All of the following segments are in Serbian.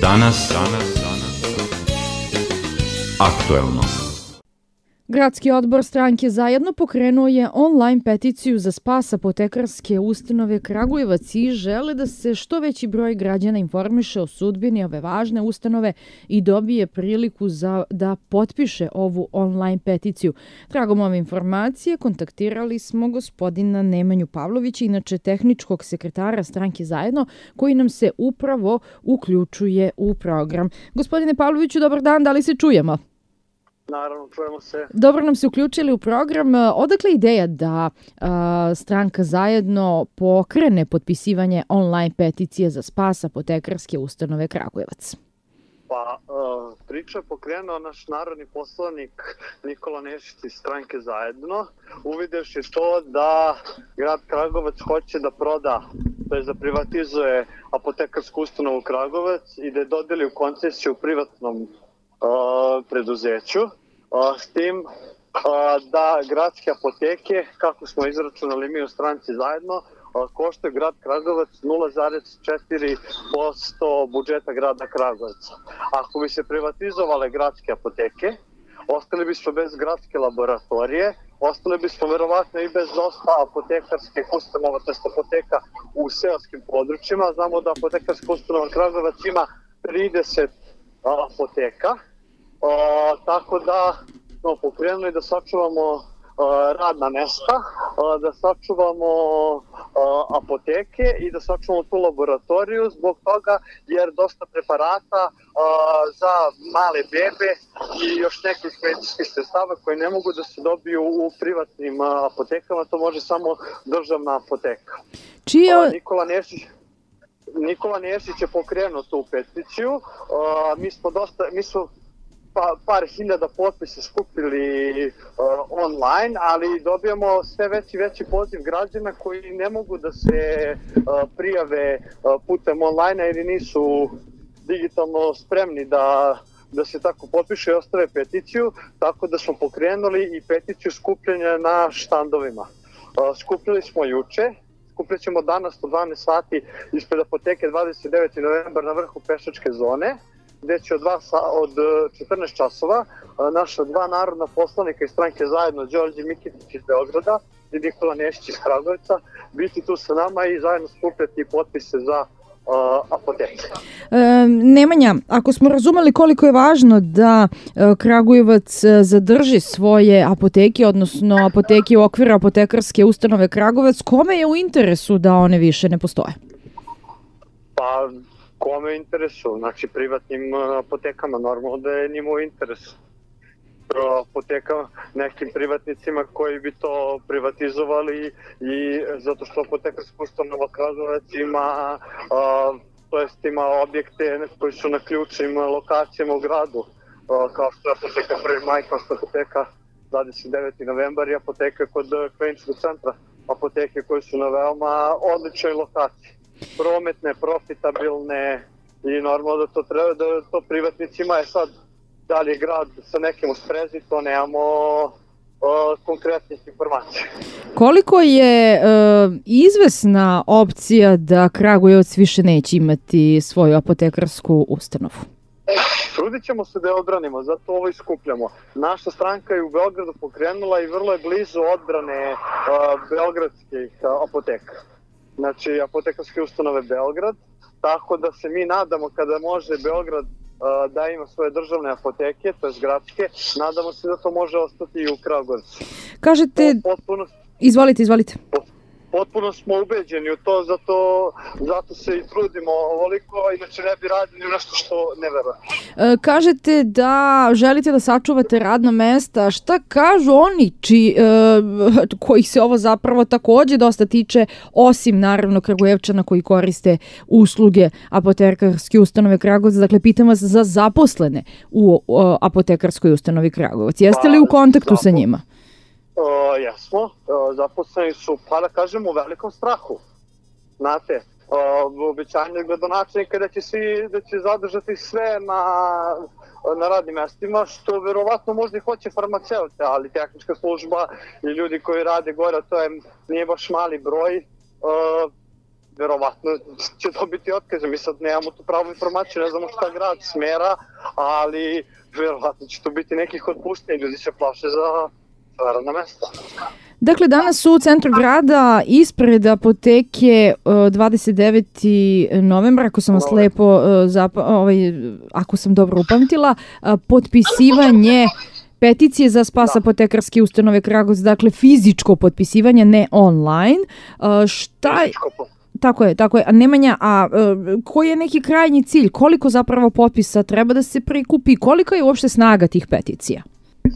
Danas aktuelno. Gradski odbor stranke Zajedno pokrenuo je online peticiju za spas apotekarske ustanove Kragujevac i žele da se što veći broj građana informiše o sudbini ove važne ustanove i dobije priliku da potpiše ovu online peticiju. Tragom ove informacije kontaktirali smo gospodina Nemanju Pavlovića, inače tehničkog sekretara stranke Zajedno, koji nam se upravo uključuje u program. Gospodine Pavloviću, dobar dan, da li se čujemo? Naravno, čujemo se. Dobro nam se uključili u program. Odakle ideja da stranka Zajedno pokrene potpisivanje online peticije za spas apotekarske ustanove Kragujevac? Pa, priča je pokrenuo naš narodni poslanik Nikola Nešić iz stranke Zajedno, uvidevši to da grad Kragujevac hoće da proda, to je da privatizuje apotekarsku ustanovu Kragujevac i da je dodeli u koncesiju privatnom preduzeću, s tim da gradske apoteke, kako smo izračunali mi u stranci Zajedno, koštaju grad Kragujevac 0,4% budžeta grada Kragujevca. Ako bi se privatizovale gradske apoteke, ostali bismo bez gradske laboratorije, ostali bismo verovatno i bez dosta apotekarskih ustanova, tj. apoteka u seoskim područjima. Znamo da apotekarska ustanova Kragujevac ima 30 apoteka, tako da smo pokrenuli da sačuvamo radna mesta, da sačuvamo apoteke i da sačuvamo tu laboratoriju zbog toga jer dosta preparata za male bebe i još nekih medicinskih sredstava koji ne mogu da se dobiju u privatnim apotekama, to može samo državna apoteka. Nikola Nešić je pokrenuo tu peticiju, mi smo par hiljada potpisa skupili online, ali dobijamo sve veći poziv građana koji ne mogu da se prijave putem online jer nisu digitalno spremni da se tako potpiše i ostave peticiju, tako da smo pokrenuli i peticiju skupljenja na štandovima. Skupljali smo juče, skupljat ćemo danas u 12 sati ispred apoteke 29. novembar na vrhu pešačke zone, gde će od 14 časova naša dva narodna poslanika iz stranke Zajedno, Đorđe Mikitić iz Beograda i Nikola Nešić iz Kragujevca, biti tu sa nama i zajedno skupljati potpise za apoteke. Nemanja, ako smo razumeli koliko je važno da Kragujevac zadrži svoje apoteke, odnosno apoteke u okviru apotekarske ustanove Kragujevac, kome je u interesu da one više ne postoje? Pa, kome je interesu? Znači, privatnim apotekama, normalno da je njima u interesu. Apotekama, nekim privatnicima koji bi to privatizovali i zato što apotekarska ustanova Kragujevac ima objekte koji su na ključnim lokacijama u gradu, kao što je apoteka Prvi maj, kao što je apoteka 29. novembar i apoteka kod kliničkog centra, apoteke koje su na veoma odličnoj lokaciji. Prometne, profitabilne i normalno da to treba da to privatnicima je sad da li je grad sa nekim u sprezi, to nemamo konkretnih informacija. Koliko je izvesna opcija da Kragujevac više neće imati svoju apotekarsku ustanovu? Trudit ćemo se da je odbranimo, zato ovo iskupljamo. Naša stranka je u Beogradu pokrenula i vrlo je blizu odbrane beogradskih apoteka. Znači, apotekarske ustanove Beograd, tako da se mi nadamo kada može Beograd da ima svoje državne apoteke, to je gradske, nadamo se da to može ostati i u Kragujevcu. Kažete... Izvolite. Potpuno smo ubeđeni u to, zato se i trudimo ovoliko, inače ne bi radili nešto što ne verujemo. Kažete da želite da sačuvate radna mesta. Šta kažu oni kojih se ovo zapravo takođe dosta tiče, osim naravno Kragujevčana koji koriste usluge apotekarske ustanove Kragujevac? Dakle, pitam vas za zaposlene u apotekarskoj ustanovi Kragujevac. Jeste li u kontaktu sa njima? Jesmo, zaposleni su, pa da kažemo, u velikom strahu. Znate, obećanje gradonačelnika da će zadržati sve na radnim mestima, što verovatno možda i hoće farmaceute, ali tehnička služba i ljudi koji rade gore, to nije baš mali broj, verovatno će dobiti otkaze. Mi sad nemamo tu pravu informaciju, ne znamo šta grad smera, ali verovatno će tu biti nekih otpuštenja, ljudi se plaše za radna mesta. Dakle, danas u centru grada ispred apoteke 29. novembra, ako sam vas lepo ako sam dobro upamtila, potpisivanje peticije za spas apotekarske ustanove Kragujevac, dakle fizičko potpisivanje, ne online. Tako je. A Nemanja, koji je neki krajnji cilj? Koliko zapravo potpisa treba da se prikupi? Kolika je uopšte snaga tih peticija?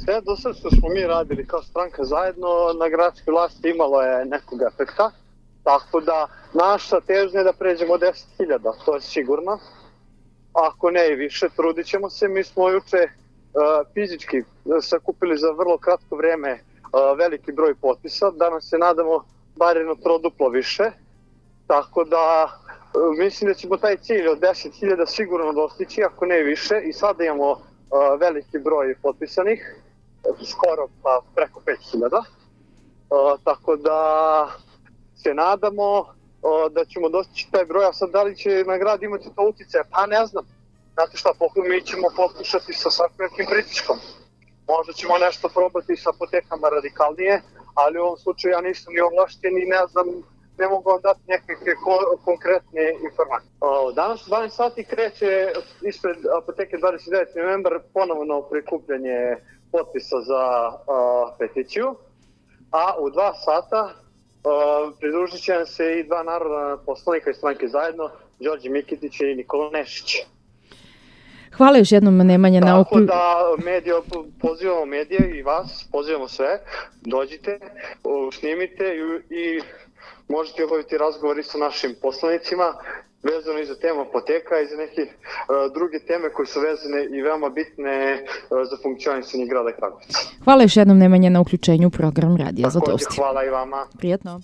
Sve do sad što smo mi radili kao stranka zajedno na gradskoj vlasti imalo je nekog efekta, tako da naša težnja je da pređemo 10.000, to je sigurno. Ako ne i više, trudit ćemo se. Mi smo juče fizički sakupili za vrlo kratko vrijeme veliki broj potpisa, danas se nadamo bar jedno troduplo više, tako da mislim da ćemo taj cilj od 10.000 sigurno dostići, ako ne i više, i sada imamo veliki broj potpisanih, skoro pa preko 5.000, tako da se nadamo da ćemo dostići taj broj, a sad da li će na grad imati to utjecaje, pa ne znam. Znate šta, mi ćemo pokušati sa svakim pritiskom. Možda ćemo nešto probati sa apotekama radikalnije, ali u ovom slučaju ja nisam ni ovlašten i ne znam, ne mogu vam dati nekakve konkretne informacije. Danas u 12 sati kreće ispred apoteke 29. novembar ponovno prikupljanje potpisa za peticiju, a u 2 sata pridružit će nam se i 2 narodna poslanika iz stranke zajedno, Đorđe Mikitić i Nikola Nešić. Hvala još jednom, Nemanja. Tako da pozivamo medije i vas, pozivamo sve, dođite, snimite i možete obaviti razgovori sa našim poslanicima vezano i za temu apoteka i za neke druge teme koje su vezane i veoma bitne za funkcionisanje grada Kragujevca. Hvala još jednom, Nemanja, na uključenju u program Radija Zlatosti. Hvala i vama. Prijetno.